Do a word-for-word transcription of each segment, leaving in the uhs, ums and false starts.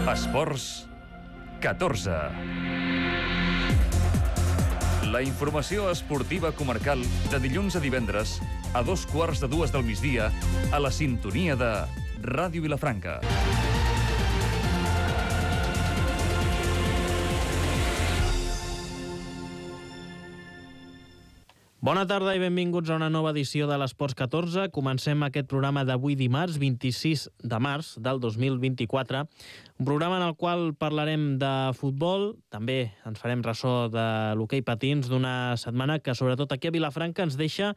Esports catorze. La informació esportiva comarcal de dilluns a divendres a dos quarts de dues del migdia a la sintonia de Ràdio Vilafranca. Bona tarda i benvinguts a una nova edició de l'Esports catorze. Comencem aquest programa d'avui dimarts, vint-i-sis de març del dos mil vint-i-quatre. Un programa en el qual parlarem de futbol, també ens farem ressò de l'hoquei patins d'una setmana que sobretot aquí a Vilafranca ens deixa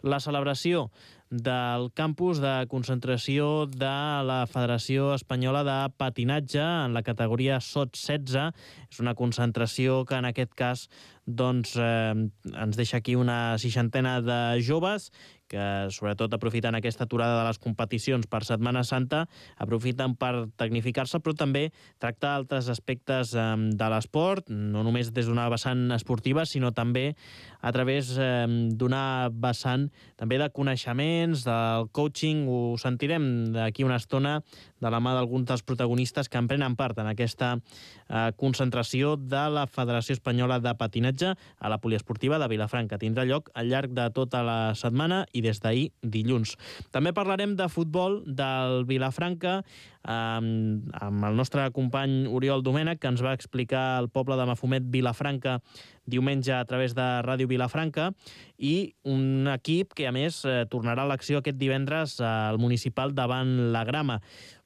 la celebració del campus de concentració de la Federació Espanyola de Patinatge en la categoria sot setze. És una concentració que en aquest cas doncs, eh, ens deixa aquí una seixantena de joves que sobretot aprofiten aquesta aturada de les competicions per Setmana Santa, aprofiten per tecnificar-se, però també tractar altres aspectes eh, de l'esport, no només des d'una vessant esportiva, sinó també a través eh, d'una vessant també de coneixements, del coaching. Ho sentirem d'aquí una estona de la mà d'alguns dels protagonistes que en prenen part en aquesta eh, concentració de la Federació Espanyola de Patinatge a la Poliesportiva de Vilafranca. Tindrà lloc al llarg de tota la setmana i des d'ahir dilluns. També parlarem de futbol del Vilafranca eh, amb el nostre company Oriol Domènech, que ens va explicar el poble de Mafumet Vilafranca diumenge a través de Ràdio Vilafranca, i un equip que a més eh, tornarà a l'acció aquest divendres al municipal davant la Grama.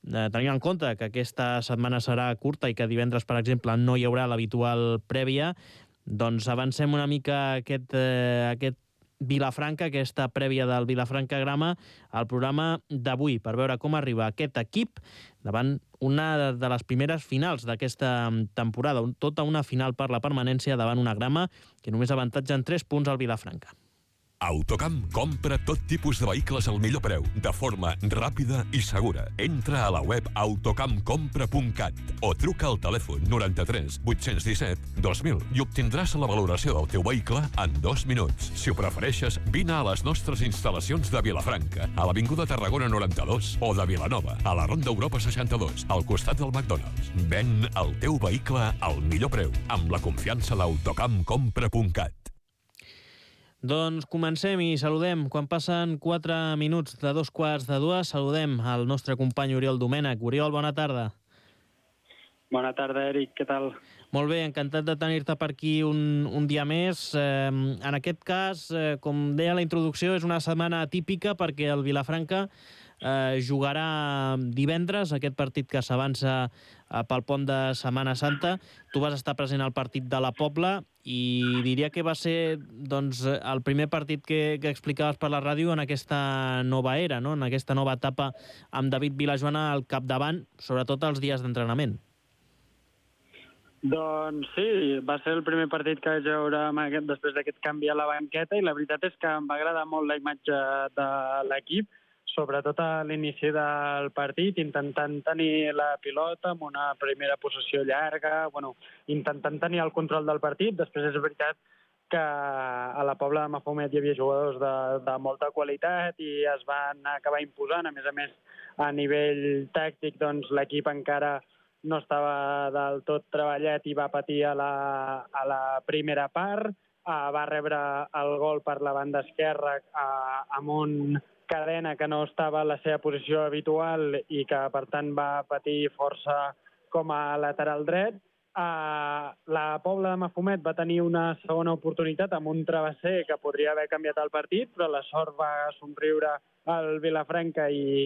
Eh, tenint en compte que aquesta setmana serà curta i que divendres, per exemple, no hi haurà l'habitual prèvia, doncs avancem una mica aquest, eh, aquest Vilafranca, aquesta prèvia del Vilafranca Grama, al programa d'avui, per veure com arriba aquest equip davant una de les primeres finals d'aquesta temporada, tota una final per la permanència davant una Grama que només avantatja en tres punts al Vilafranca. Autocamp compra tot tipus de vehicles al millor preu, de forma ràpida i segura. Entra a la web autocamp compra punt cat o truca al telèfon noranta-tres vuit-cents disset dos mil i obtindràs la valoració del teu vehicle en dos minuts. Si ho prefereixes, vine a les nostres instal·lacions de Vilafranca, a l'Avinguda Tarragona noranta-dos, o de Vilanova, a la Ronda Europa seixanta-dos, al costat del McDonald's. Ven el teu vehicle al millor preu, amb la confiança d'Autocamp compra punt cat. Doncs comencem i saludem, quan passen quatre minuts de dos quarts de dues, saludem al nostre company Oriol Domènech. Oriol, bona tarda. Bona tarda, Eric, què tal? Molt bé, encantat de tenir-te per aquí un, un dia més. Eh, en aquest cas, eh, com deia la introducció, és una setmana atípica perquè el Vilafranca eh, jugarà divendres, aquest partit que s'avança eh, pel pont de Setmana Santa. Tu vas estar present al partit de la Pobla i diria que va ser doncs, el primer partit que, que explicaves per la ràdio en aquesta nova era, no? En aquesta nova etapa amb David Vilajoana al capdavant, sobretot els dies d'entrenament. Doncs sí, va ser el primer partit que vaig veure aquest, després d'aquest canvi a la banqueta, i la veritat és que em va agradar molt la imatge de l'equip, sobretot a l'inici del partit, intentant tenir la pilota amb una primera possessió llarga, bueno, intentant tenir el control del partit. Després és veritat que a la Pobla de Mafumet hi havia jugadors de, de molta qualitat i es van acabar imposant. A més a més, a nivell tàctic, doncs, l'equip encara no estava del tot treballat i va patir a la, a la primera part. Uh, va rebre el gol per la banda esquerra uh, amb un Cadena que no estava a la seva posició habitual i que, per tant, va patir força com a lateral dret. Uh, la Pobla de Mafumet va tenir una segona oportunitat amb un travesser que podria haver canviat el partit, però la sort va somriure al Vilafranca i,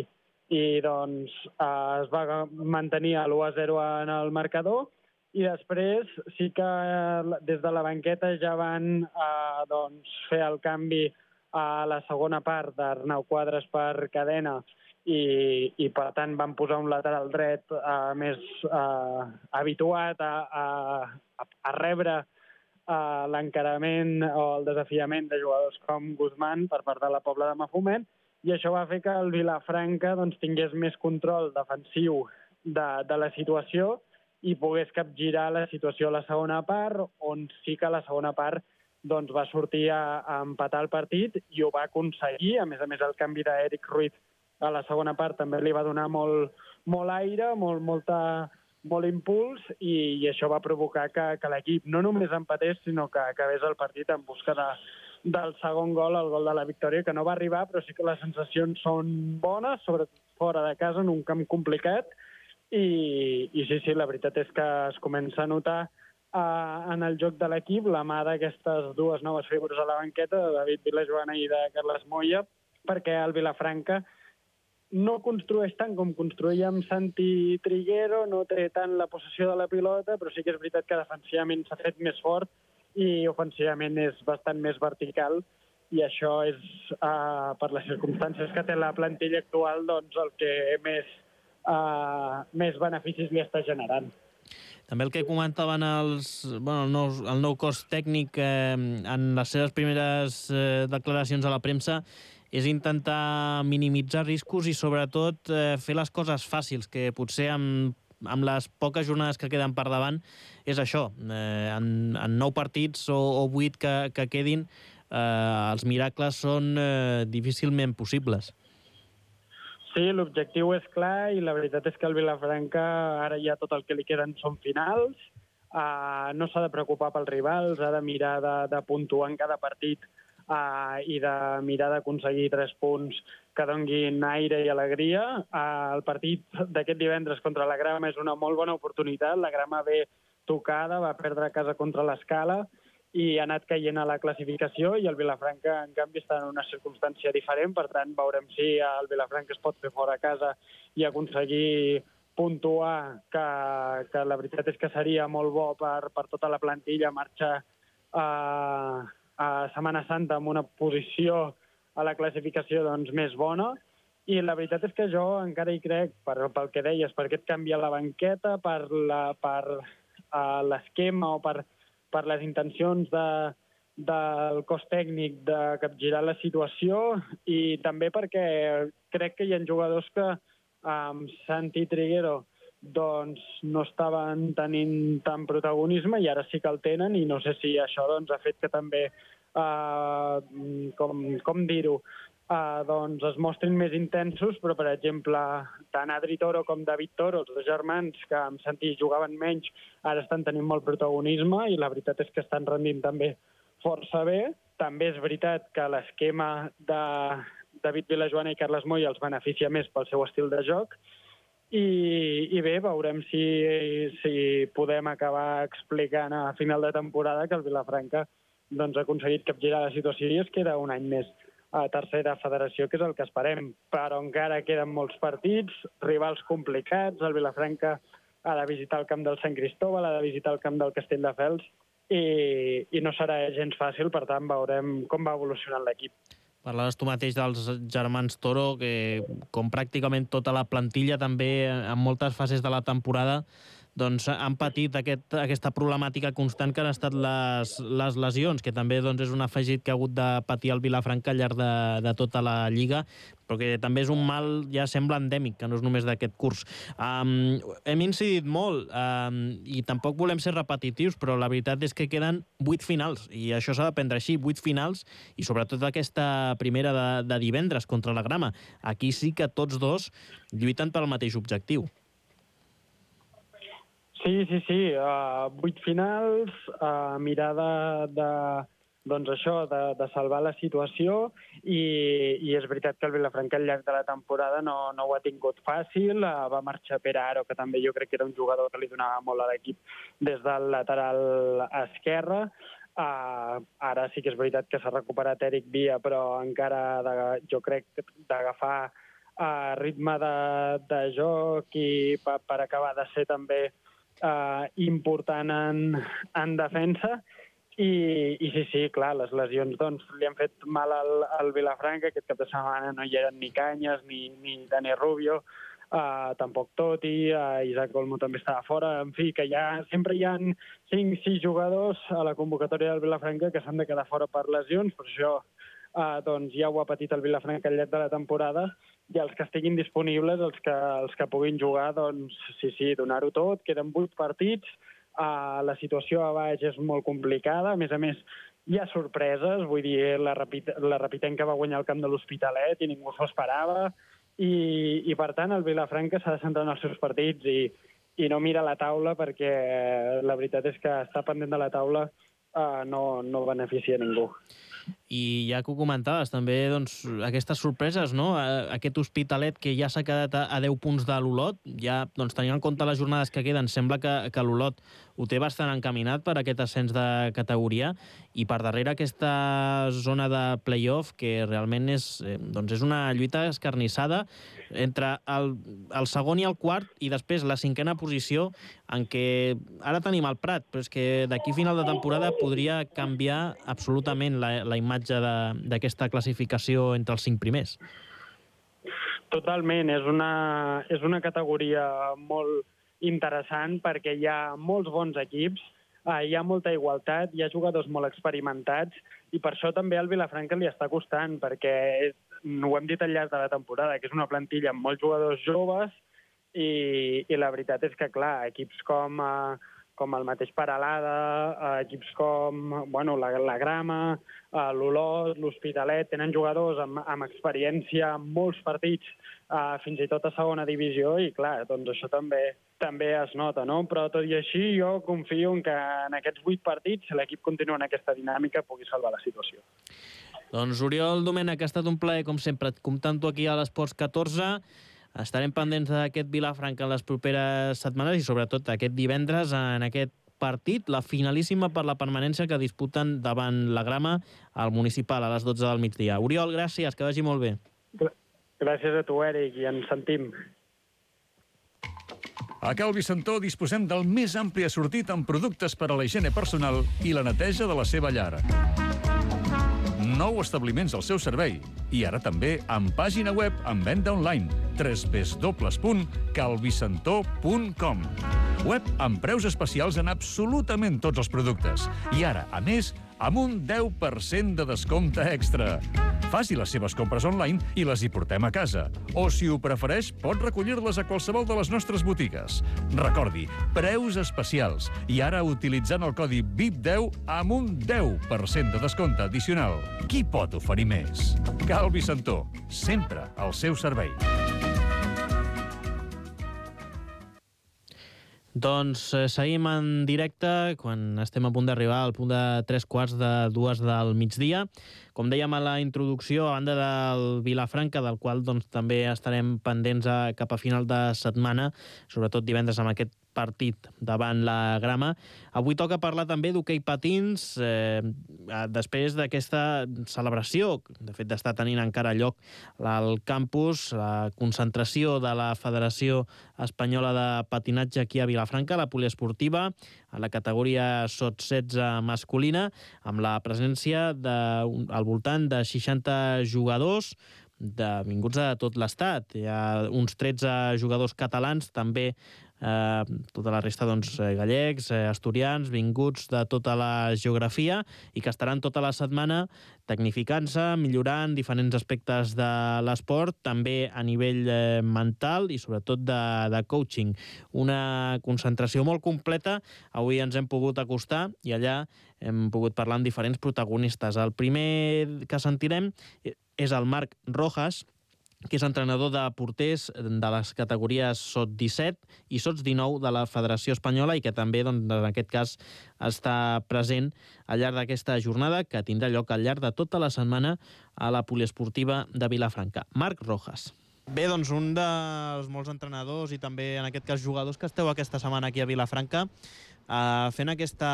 i doncs, uh, es va mantenir a l'u a zero en el marcador. I després sí que uh, des de la banqueta ja van uh, doncs, fer el canvi a la segona part d'Arnau Quadres per Cadena i, i per tant van posar un lateral dret uh, més uh, habituat a, a, a rebre uh, l'encarament o el desafiament de jugadors com Guzmán per part de la Pobla de Mafumet, i això va fer que el Vilafranca doncs, tingués més control defensiu de, de la situació i pogués capgirar la situació a la segona part, on sí que a la segona part doncs va sortir a, a empatar el partit i ho va aconseguir. A més a més, el canvi d'Eric Ruiz a la segona part també li va donar molt, molt aire, molt, molta, molt impuls i, i això va provocar que, que l'equip no només empatés, sinó que acabés el partit en busca de, del segon gol, el gol de la victòria, que no va arribar, però sí que les sensacions són bones, sobretot fora de casa, en un camp complicat, i, i sí, sí, la veritat és que es comença a notar uh, en el joc de l'equip la mà d'aquestes dues noves figures a la banqueta, de David Vilajoana i de Carles Moya, perquè el Vilafranca no construeix tant com construïa amb Santi Triguero, no té tant la possessió de la pilota, però sí que és veritat que defensivament s'ha fet més fort i ofensivament és bastant més vertical, i això és, uh, per les circumstàncies que té la plantilla actual, doncs el que més, uh, més beneficis li està generant. També el que comentaven els, bueno, el, nou, el nou cos tècnic eh, en les seves primeres eh, declaracions a la premsa és intentar minimitzar riscos i, sobretot, eh, fer les coses fàcils, que potser amb, amb les poques jornades que queden per davant és això. Eh, en, en nou partits o, o vuit que, que quedin, eh, els miracles són eh, difícilment possibles. Sí, l'objectiu és clar i la veritat és que el Vilafranca ara ja tot el que li queden són finals. Uh, no s'ha de preocupar pels rivals, ha de mirar de, de puntuar en cada partit Uh, i de mirar d'aconseguir tres punts que donguin aire i alegria. Uh, el partit d'aquest divendres contra la Grama és una molt bona oportunitat. La Grama ve tocada, va perdre a casa contra l'Escala i ha anat caient a la classificació, i el Vilafranca, en canvi, està en una circumstància diferent. Per tant, veurem si el Vilafranca es pot fer fora a casa i aconseguir puntuar, que, que la veritat és que seria molt bo per, per tota la plantilla marxar a uh, a Setmana Santa amb una posició a la classificació doncs, més bona. I la veritat és que jo encara hi crec, per, pel que deies, per aquest canvi a la banqueta, per la, per uh, l'esquema o per, per les intencions de, del cos tècnic de capgirar la situació, i també perquè crec que hi ha jugadors que amb um, Santi Triguero doncs no estaven tenint tant protagonisme i ara sí que el tenen, i no sé si això doncs, ha fet que també, uh, com, com dir-ho, uh, doncs es mostrin més intensos, però per exemple, tant Adri Toro com David Toro, els dos germans que amb Santi jugaven menys, ara estan tenint molt protagonisme i la veritat és que estan rendint també força bé. També és veritat que l'esquema de David Vilajoana i Carles Moya els beneficia més pel seu estil de joc. I, i bé, veurem si, si podem acabar explicant a final de temporada que el Vilafranca doncs, ha aconseguit capgirar la situació i es queda un any més a tercera federació, que és el que esperem. Però encara queden molts partits, rivals complicats, el Vilafranca ha de visitar el camp del Sant Cristóbal, ha de visitar el camp del Castelldefels, i, i no serà gens fàcil, per tant veurem com va evolucionant l'equip. Parlaves tu mateix dels germans Toro, que com pràcticament tota la plantilla també en moltes fases de la temporada doncs, han patit aquest, aquesta problemàtica constant que han estat les, les lesions, que també doncs, és un afegit que ha hagut de patir el Vilafranca al llarg de, de tota la Lliga, però que també és un mal, ja sembla endèmic, que no és només d'aquest curs. Um, hem incidit molt, um, i tampoc volem ser repetitius, però la veritat és que queden vuit finals, i això s'ha de prendre així, vuit finals, i sobretot aquesta primera de, de divendres contra la Grama. Aquí sí que tots dos lluiten pel mateix objectiu. Sí, sí, sí. Uh, vuit finals, uh, mirar de, de, doncs això, de, de salvar la situació, i, i és veritat que el Vilafranca al llarg de la temporada no, no ho ha tingut fàcil. Uh, va marxar Pere Aro, que també jo crec que era un jugador que li donava molt a l'equip des del lateral esquerre. Uh, ara sí que és veritat que s'ha recuperat Eric Villa, però encara de, jo crec d'agafar uh, ritme de, de joc i per, per acabar de ser també Uh, important en, en defensa, i, i sí, sí, clar, les lesions doncs, li han fet mal al, al Vilafranca. Aquest cap de setmana no hi eren ni Canyes ni, ni Dani Rubio, uh, tampoc Totti, uh, Isaac Olmo també estava fora. En fi, que ja, sempre hi ha cinc sis jugadors a la convocatòria del Vilafranca que s'han de quedar fora per lesions, per això uh, doncs, ja ho ha patit el Vilafranca al llarg de la temporada, i els que estiguin disponibles, els que, els que puguin jugar, doncs sí, sí, donar-ho tot. Queden vuit partits, uh, la situació a baix és molt complicada, a més a més hi ha sorpreses, vull dir, la, Rapid, la Rapitenca va guanyar el camp de l'Hospitalet i ningú s'ho esperava, i, i per tant el Vilafranca s'ha de centrar en els seus partits, i, i no mira la taula, perquè la veritat és que estar pendent de la taula uh, no, no beneficia ningú. I ja que ho comentaves, també doncs, aquestes sorpreses, no? Aquest Hospitalet que ja s'ha quedat a deu punts de l'Olot, ja doncs, tenint en compte les jornades que queden, sembla que, que l'Olot ho té bastant encaminat per aquest ascens de categoria, i per darrere aquesta zona de play-off que realment és, eh, doncs és una lluita escarnissada entre el, el segon i el quart, i després la cinquena posició, en què ara tenim el Prat, però és que d'aquí a final de temporada podria canviar absolutament la, la imatge d'aquesta classificació entre els cinc primers. Totalment, és una, és una categoria molt interessant perquè hi ha molts bons equips, eh, hi ha molta igualtat, hi ha jugadors molt experimentats, i per això també al Vilafranca li està costant, perquè és, ho hem dit al llarg de la temporada, que és una plantilla amb molts jugadors joves, i, i la veritat és que, clar, equips com... Eh, com el mateix Peralada, eh, equips com bueno, la, la Grama, eh, l'Olot, l'Hospitalet, tenen jugadors amb, amb experiència en molts partits, eh, fins i tot a segona divisió, i clar, doncs això també també es nota, no? Però tot i així jo confio en que en aquests vuit partits, si l'equip continua en aquesta dinàmica, pugui salvar la situació. Doncs Oriol Domènech, ha estat un plaer, com sempre, comptant-ho aquí a l'Esports catorze. Estarem pendents d'aquest Vilafranca en les properes setmanes i sobretot aquest divendres en aquest partit, la finalíssima per la permanència que disputen davant la Grama al municipal a les dotze del migdia. Oriol, gràcies, que vagi molt bé. Gràcies a tu, Eric, i ens sentim. A Cal Vicentó disposem del més ampli assortit en productes per a la higiene personal i la neteja de la seva llar. Nou establiments al seu servei i ara també amb pàgina web amb venda online w w w punt calvicentó punt com. Web amb preus especials en absolutament tots els productes i ara, a més, amb un deu per cent de descompte extra. Faci les seves compres online i les hi portem a casa. O, si ho prefereix, pot recollir-les a qualsevol de les nostres botigues. Recordi, preus especials. I ara utilitzant el codi V I P deu amb un deu per cent de descompte addicional. Qui pot oferir més? Cal Vicentó, sempre al seu servei. Doncs eh, seguim en directe quan estem a punt d'arribar al punt de tres quarts de dues del migdia. Com dèiem a la introducció, a banda del Vilafranca, del qual doncs, també estarem pendents a, cap a final de setmana, sobretot divendres amb aquest partit davant la Grama. Avui toca parlar també d'hoquei patins, eh, després d'aquesta celebració, de fet d'estar tenint encara lloc al campus, la concentració de la Federació Espanyola de Patinatge aquí a Vilafranca, la poliesportiva, a la categoria sot setze masculina, amb la presència de, al voltant de seixanta jugadors, de, vinguts de tot l'estat. Hi ha uns tretze jugadors catalans, també eh, tota la resta doncs, gallecs, eh, asturians, vinguts de tota la geografia i que estaran tota la setmana tecnificant-se, millorant diferents aspectes de l'esport, també a nivell eh, mental i sobretot de, de coaching. Una concentració molt completa. Avui ens hem pogut acostar i allà hem pogut parlar amb diferents protagonistes. El primer que sentirem és el Marc Rojas, que és entrenador de porters de les categories sot disset i sot dinou de la Federació Espanyola i que també, doncs, en aquest cas, està present al llarg d'aquesta jornada que tindrà lloc al llarg de tota la setmana a la poliesportiva de Vilafranca. Marc Rojas. Bé, doncs un dels molts entrenadors i també, en aquest cas, jugadors que esteu aquesta setmana aquí a Vilafranca eh, fent aquesta,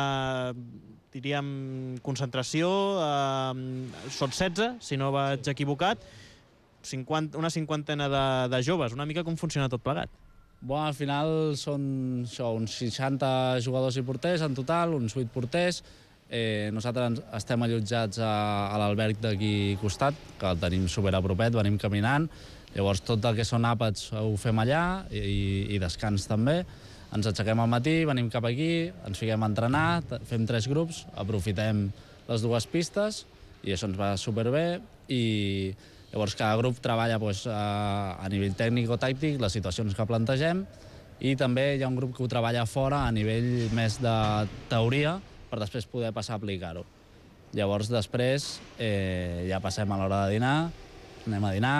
diríem, concentració eh, sot setze, si no vaig equivocat, cinquanta, una cinquantena de, de joves. Una mica com funciona tot plegat? Bueno, al final són això, uns seixanta jugadors i porters en total, uns vuit porters. Eh, nosaltres estem allotjats a, a l'alberg d'aquí costat, que el tenim superapropet, venim caminant. Llavors tot el que són àpats ho fem allà i, i descans també. Ens aixequem al matí, venim cap aquí, ens fiquem a entrenar, fem tres grups, aprofitem les dues pistes i això ens va superbé. I llavors cada grup treballa doncs, a, a nivell tècnic o tàctic les situacions que plantegem i també hi ha un grup que ho treballa fora a nivell més de teoria per després poder passar a aplicar-ho. Llavors després eh, ja passem a l'hora de dinar, anem a dinar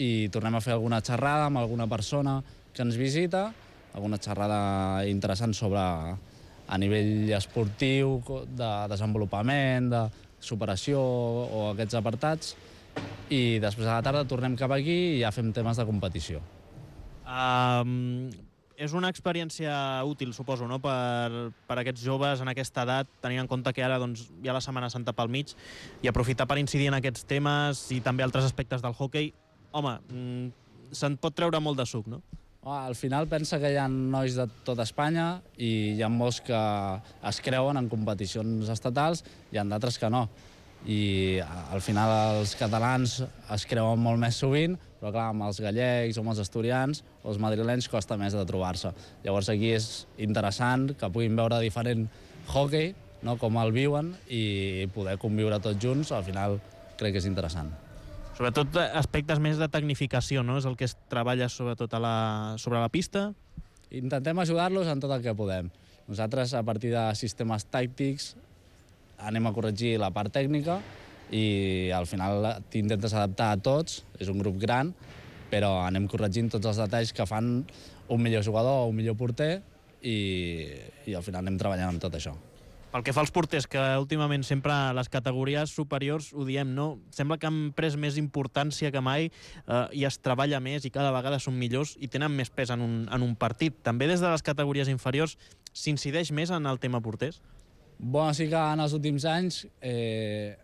i tornem a fer alguna xerrada amb alguna persona que ens visita alguna xerrada interessant sobre a nivell esportiu, de desenvolupament, de superació o aquests apartats, i després a la tarda tornem cap aquí i ja fem temes de competició. Um, és una experiència útil, suposo, no? per, per aquests joves en aquesta edat, tenint en compte que ara doncs, hi ha la Setmana Santa pel mig, i aprofitar per incidir en aquests temes i també altres aspectes del hoquei. Home, mm, se'n pot treure molt de suc, no? Al final pensa que hi ha nois de tota Espanya i hi ha molts que es creuen en competicions estatals, hi ha d'altres que no. I al final els catalans es creuen molt més sovint, però clar, amb els gallecs o amb els asturians o els madrilenys costa més de trobar-se. Llavors aquí és interessant que puguin veure diferent hockey, no, com el viuen, i poder conviure tots junts, al final crec que és interessant. Sobretot aspectes més de tecnificació, no? És el que es treballa sobretot a la, sobre la pista? Intentem ajudar-los en tot el que podem. Nosaltres, a partir de sistemes tàctics, anem a corregir la part tècnica i al final t'intentes adaptar a tots, és un grup gran, però anem corregint tots els detalls que fan un millor jugador o un millor porter i, i al final anem treballant amb tot això. Pel que fa als porters, que últimament sempre les categories superiors ho diem, no? Sembla que han pres més importància que mai eh, i es treballa més i cada vegada són millors i tenen més pes en un, en un partit. També des de les categories inferiors s'incideix més en el tema porters? Bueno, sí que en els últims anys eh,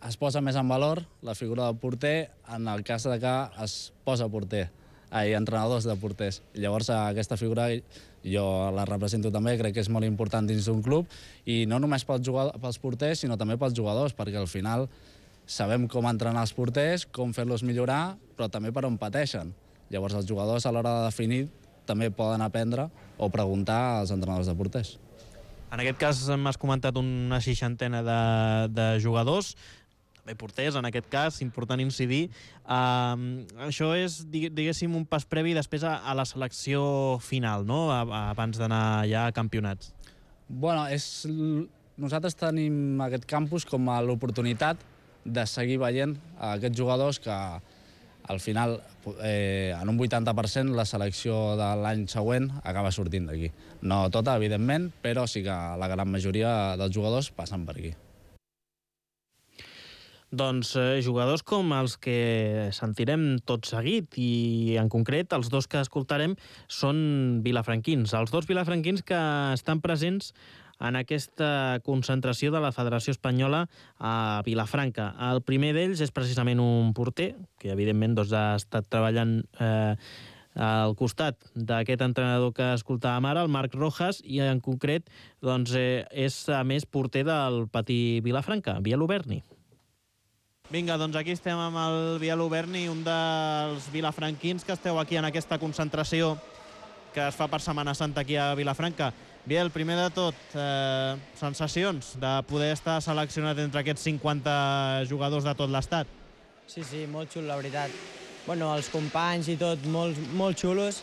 es posa més en valor la figura del porter en el cas de que es posa porter, ai, entrenadors de porters. Llavors aquesta figura jo la represento també, crec que és molt important dins d'un club i no només pels, jugadors, pels porters sinó també pels jugadors, perquè al final sabem com entrenar els porters, com fer-los millorar, però també per on pateixen. Llavors els jugadors a l'hora de definir també poden aprendre o preguntar als entrenadors de porters. En aquest cas m'has comentat una seixantena de, de jugadors, també porters en aquest cas, important incidir. Uh, això és, diguéssim, un pas previ després a, a la selecció final, no? A, a, abans d'anar ja a campionats. Bueno, és, nosaltres tenim aquest campus com a l'oportunitat de seguir veient aquests jugadors que al final, eh, en un vuitanta per cent, la selecció de l'any següent acaba sortint d'aquí. No tota, evidentment, però sí que la gran majoria dels jugadors passen per aquí. Doncs eh, jugadors com els que sentirem tot seguit i, en concret, els dos que escoltarem són vilafranquins. Els dos vilafranquins que estan presents en aquesta concentració de la Federació Espanyola a Vilafranca. El primer d'ells és precisament un porter, que evidentment doncs, ha estat treballant eh, al costat d'aquest entrenador que escoltàvem ara, el Marc Rojas, i en concret doncs, eh, és a més porter del Patí Vilafranca, Biel Oberni. Vinga, doncs aquí estem amb el Biel Oberni, un dels vilafranquins que esteu aquí en aquesta concentració que es fa per Setmana Santa aquí a Vilafranca. Biel, primer de tot, eh, sensacions de poder estar seleccionat entre aquests cinquanta jugadors de tot l'estat? Sí, sí, molt xulo, la veritat. Bueno, els companys i tot, molt, molt xulos.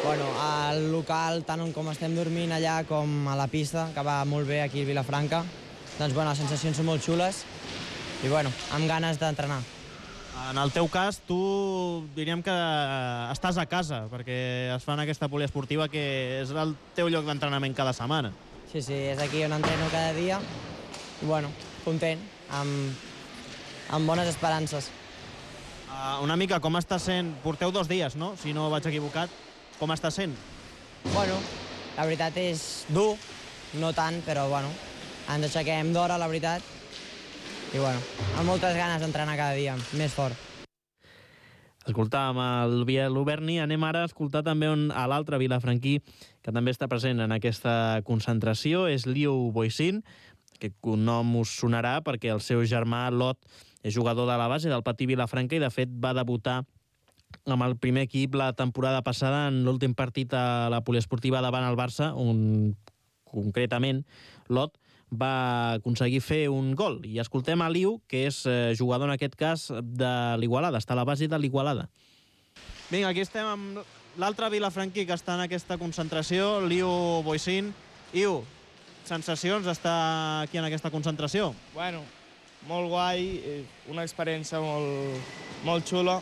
Bueno, al local, tant com estem dormint allà com a la pista, que va molt bé aquí a Vilafranca, doncs bueno, les sensacions són molt xules i bueno, amb ganes d'entrenar. En el teu cas, tu diríem que estàs a casa, perquè es fa en aquesta poliesportiva que és el teu lloc d'entrenament cada setmana. Sí, sí, és aquí on entreno cada dia i bueno, content, amb, amb bones esperances. Uh, una mica, com està sent? Porteu dos dies, no? Si no vaig equivocat. Com està sent? Bueno, la veritat és dur, no tant, però bueno, ens aixequem d'hora, la veritat, i bueno, amb moltes ganes d'entrenar cada dia, més fort. Escoltàvem el Biel Oberni, anem ara a escoltar també un, a l'altre vilafranquí que també està present en aquesta concentració, és Liu Boixin. Aquest nom us sonarà perquè el seu germà Lot és jugador de la base del Patí Vilafranca i de fet va debutar amb el primer equip la temporada passada en l'últim partit a la poliesportiva davant el Barça, on concretament Lot va aconseguir fer un gol. I escoltem a Liu, que és jugador en aquest cas de l'Igualada, està a la base de l'Igualada. Vinga, aquí estem amb l'altre vilafranquí que està en aquesta concentració, Liu Boixin. Iu, sensacions d'estar aquí en aquesta concentració? Bueno, molt guai, una experiència molt, molt xula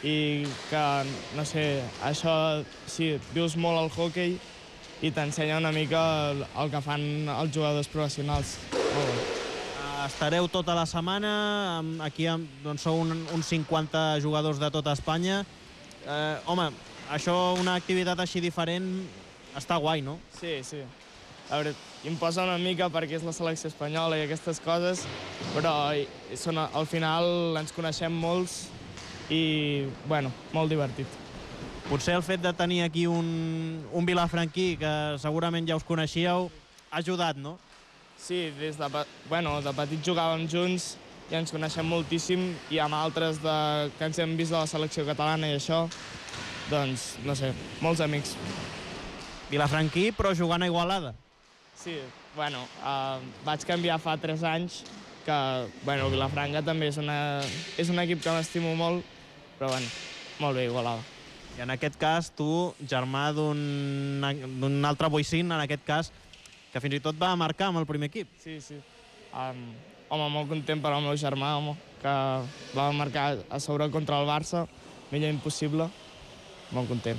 i que, no sé, això, sí, vius molt al hoquei i t'ensenya una mica el, el que fan els jugadors professionals. Molt bé. Estareu tota la setmana, aquí doncs, sou un, uns cinquanta jugadors de tota Espanya. Eh, home, això, una activitat així diferent, està guai, no? Sí, sí. A veure, em posa una mica perquè és la selecció espanyola i aquestes coses, però són, al final ens coneixem molts i, bueno, molt divertit. Potser el fet de tenir aquí un, un vilafranquí, que segurament ja us coneixíeu, ha ajudat, no? Sí, des de, bueno, de petit jugàvem junts i ens coneixem moltíssim, i amb altres de, que ens hem vist de la selecció catalana i això, doncs, no sé, molts amics. Vilafranquí, però jugant a Igualada. Sí, bueno, uh, vaig canviar fa tres anys, que, bueno, Vilafranca també és, una, és un equip que m'estimo molt, però, bueno, molt bé, Igualada. I en aquest cas, tu, germà d'un altre boicín, en aquest cas, que fins i tot va marcar amb el primer equip. Sí, sí. Um, home, molt content per al meu germà, home, que va marcar a sobre contra el Barça, millor impossible. Molt content.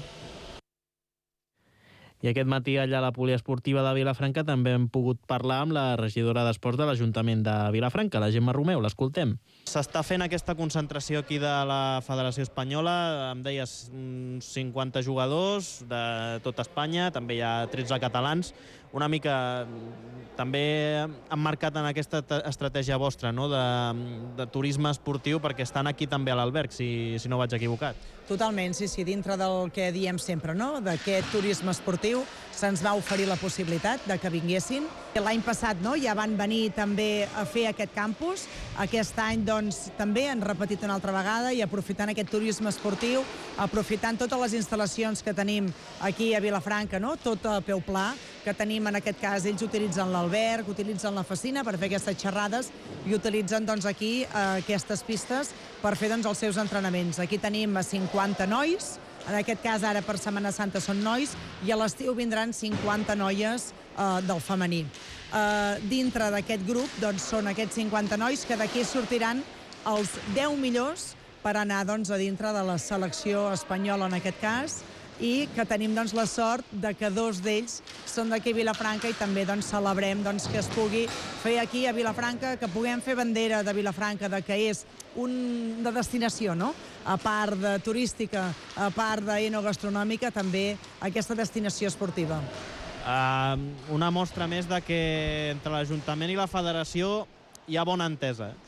I aquest matí allà a la poliesportiva de Vilafranca també hem pogut parlar amb la regidora d'Esports de l'Ajuntament de Vilafranca, la Gemma Romeu. L'escoltem. S'està fent aquesta concentració aquí de la Federació Espanyola. Em deies cinquanta jugadors de tot Espanya, també hi ha tretze catalans. Una mica també emmarcat en aquesta estratègia vostra, no? de, de turisme esportiu, perquè estan aquí també a l'alberg, si, si no vaig equivocat. Totalment, sí, sí, dintre del que diem sempre, no? D'aquest turisme esportiu se'ns va oferir la possibilitat de que vinguessin. L'any passat, no?, ja van venir també a fer aquest campus. Aquest any, doncs, també han repetit una altra vegada i aprofitant aquest turisme esportiu, aprofitant totes les instal·lacions que tenim aquí a Vilafranca, no?, tot a peu pla, que tenim en aquest cas, ells utilitzen l'alberg, utilitzen la Facina per fer aquestes xerrades i utilitzen, doncs, aquí eh, aquestes pistes per fer, doncs, els seus entrenaments. Aquí tenim cinquanta nois, en aquest cas ara per Setmana Santa són nois, i a l'estiu vindran cinquanta noies eh, del femení. Eh, dintre d'aquest grup, doncs, són aquests cinquanta nois que d'aquí sortiran els deu millors per anar, doncs, a dintre de la selecció espanyola en aquest cas, i que tenim, doncs, la sort de que dos d'ells són d'aquí a Vilafranca i també, doncs, celebrem, doncs, que es pugui fer aquí a Vilafranca, que puguem fer bandera de Vilafranca, de que és un de destinació, no? A part de turística, a part d'enogastronòmica, també aquesta destinació esportiva. Uh, una mostra més de que entre l'Ajuntament i la Federació hi ha bona entesa, eh?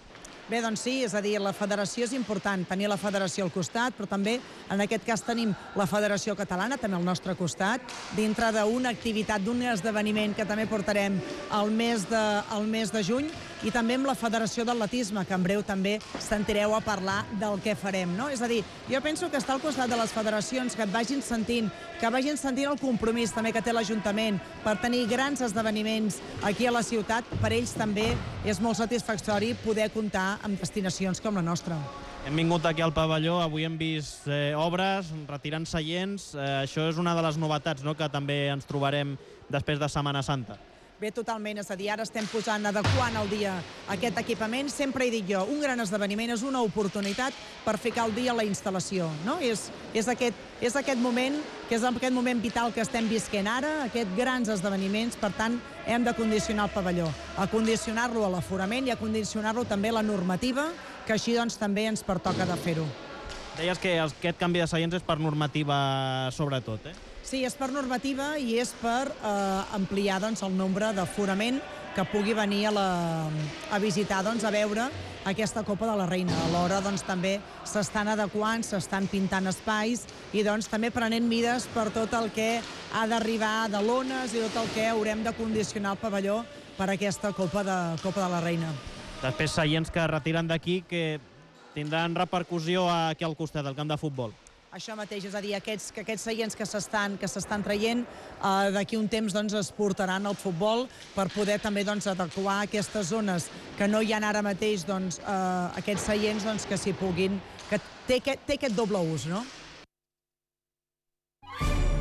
Bé, doncs sí, és a dir, la federació és important, tenir la federació al costat, però també, en aquest cas, tenim la Federació Catalana, també al nostre costat, dintre d'una activitat, d'un esdeveniment que també portarem al mes de, al mes de juny, i també amb la Federació d'Atletisme, que en breu també sentireu a parlar del què farem, no? És a dir, jo penso que estar al costat de les federacions, que et vagin sentint, que vagin sentint el compromís també que té l'Ajuntament per tenir grans esdeveniments aquí a la ciutat, per ells també és molt satisfactori poder comptar amb destinacions com la nostra. Hem vingut aquí al pavelló, avui hem vist eh, obres, retirant seients. Eh, això és una de les novetats, no?, que també ens trobarem després de Setmana Santa. Bé, totalment, és a dir, ara estem posant, adequant al dia aquest equipament. Sempre he dit jo, un gran esdeveniment és una oportunitat per ficar al dia la instal·lació, no? És, és, aquest, és aquest moment, que és aquest moment vital que estem visquent ara, aquests grans esdeveniments, per tant, hem de condicionar el pavelló, a condicionar-lo a l'aforament i a condicionar-lo també a la normativa, que així, doncs, també ens pertoca de fer-ho. Deies que aquest canvi de seients és per normativa sobretot, eh? Sí, és per normativa i és per eh, ampliar, doncs, el nombre d'aforament que pugui venir a, la, a visitar, doncs, a veure aquesta Copa de la Reina. Alhora, doncs, també s'estan adequant, s'estan pintant espais i, doncs, també prenent mides per tot el que ha d'arribar de lones i tot el que haurem de condicionar el pavelló per a aquesta Copa de, Copa de la Reina. Després, seients que retiren d'aquí, que tindran repercussió aquí al costat del camp de futbol. Això mateix, és a dir, aquests, que aquests seients que s'estan que s'estan traient, eh, d'aquí un temps, doncs, es portaran al futbol per poder també, doncs, adequar aquestes zones que no hi ha ara mateix, doncs, eh, aquests seients, doncs, que s'hi puguin, que té, té aquest doble ús, no?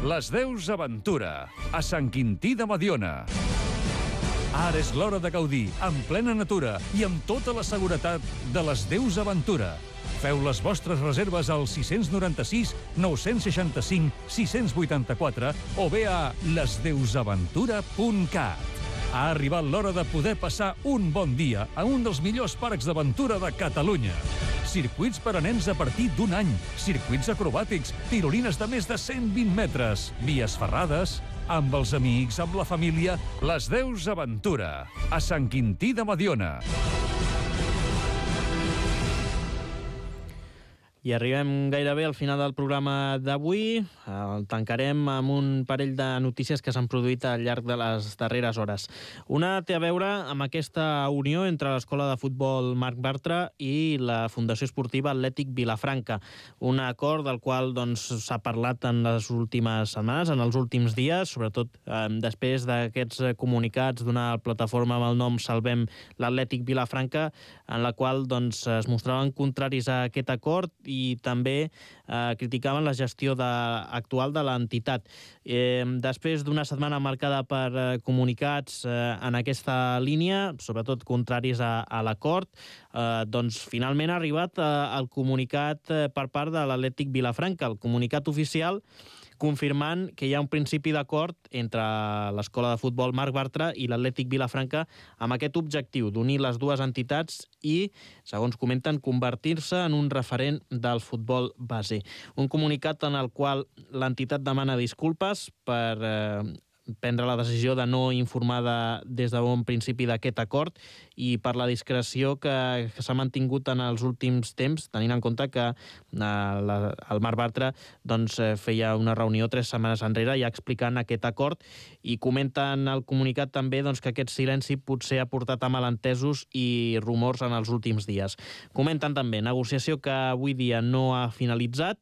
Les Deus Aventura, a Sant Quintí de Mediona. Ara és l'hora de gaudir, en plena natura i amb tota la seguretat de les Deus Aventura. Feu les vostres reserves al sis nou sis, nou sis cinc, sis vuit quatre o bé a lesdeusaventura punt cat. Ha arribat l'hora de poder passar un bon dia a un dels millors parcs d'aventura de Catalunya. Circuits per a nens a partir d'un any, circuits acrobàtics, tirolines de més de cent vint metres, vies ferrades, amb els amics, amb la família, Les Deus Aventura, a Sant Quintí de Mediona. I arribem gairebé al final del programa d'avui. El tancarem amb un parell de notícies que s'han produït al llarg de les darreres hores. Una té a veure amb aquesta unió entre l'Escola de Futbol Marc Bartra i la Fundació Esportiva Atlètic Vilafranca. Un acord del qual doncs, s'ha parlat en les últimes setmanes, en els últims dies, sobretot eh, després d'aquests comunicats d'una plataforma amb el nom Salvem l'Atlètic Vilafranca, en la qual doncs, es mostraven contraris a aquest acord i també eh, criticaven la gestió de, actual de l'entitat. Eh, després d'una setmana marcada per eh, comunicats eh, en aquesta línia, sobretot contraris a, a l'acord, eh, doncs finalment ha arribat eh, el comunicat eh, per part de l'Atlètic Vilafranca, el comunicat oficial confirmant que hi ha un principi d'acord entre l'Escola de Futbol Marc Bartra i l'Atlètic Vilafranca amb aquest objectiu d'unir les dues entitats i, segons comenten, convertir-se en un referent del futbol base. Un comunicat en el qual l'entitat demana disculpes per eh, prendre la decisió de no informar de, des de bon principi d'aquest acord i per la discreció que, que s'ha mantingut en els últims temps, tenint en compte que eh, la, el Marc Bartra doncs, feia una reunió tres setmanes enrere ja explicant aquest acord i comenten al comunicat també doncs, que aquest silenci potser ha portat a malentesos i rumors en els últims dies. Comenten també negociació que avui dia no ha finalitzat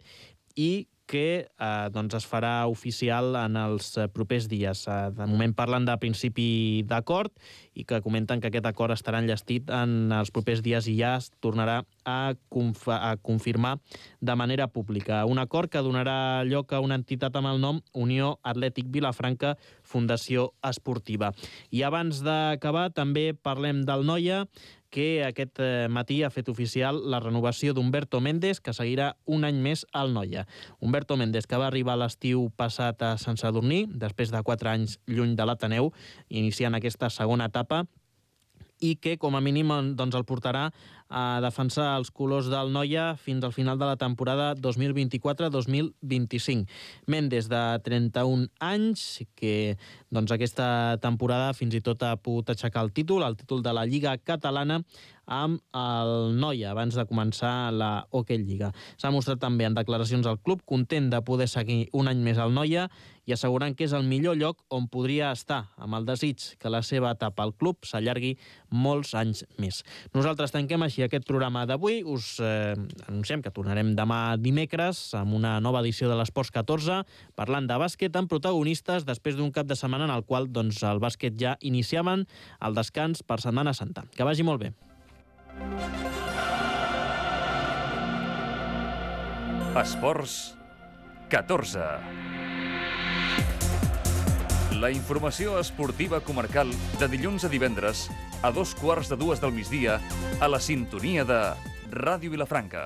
i que eh, doncs es farà oficial en els propers dies. Eh, de moment parlen de principi d'acord i que comenten que aquest acord estarà enllestit en els propers dies i ja es tornarà a, conf a confirmar de manera pública. Un acord que donarà lloc a una entitat amb el nom Unió Atlètic Vilafranca Fundació Esportiva. I abans d'acabar també parlem del Noia, que aquest matí ha fet oficial la renovació d'Humberto Méndez, que seguirà un any més al Noia. Humberto Méndez, que va arribar l'estiu passat a Sant Sadurní, després de quatre anys lluny de l'Ateneu, iniciant aquesta segona etapa, i que, com a mínim, doncs, el portarà a defensar els colors del Noia fins al final de la temporada dos mil vint-i-quatre dos mil vint-i-cinc. Méndez, de trenta-un anys, que doncs, aquesta temporada fins i tot ha pogut aixecar el títol, el títol de la Lliga Catalana, amb el Noia, abans de començar la Hockey Lliga. S'ha mostrat també en declaracions al club, content de poder seguir un any més al Noia i assegurant que és el millor lloc on podria estar, amb el desig que la seva etapa al club s'allargui molts anys més. Nosaltres tanquem així aquest programa d'avui. Us eh, anunciem que tornarem demà dimecres amb una nova edició de l'Esports catorze, parlant de bàsquet amb protagonistes després d'un cap de setmana en el qual doncs, el bàsquet ja iniciaven el descans per Setmana Santa. Que vagi molt bé. Esports catorze. La informació esportiva comarcal de dilluns a divendres a dos quarts de dues del migdia a la sintonia de Ràdio Vilafranca.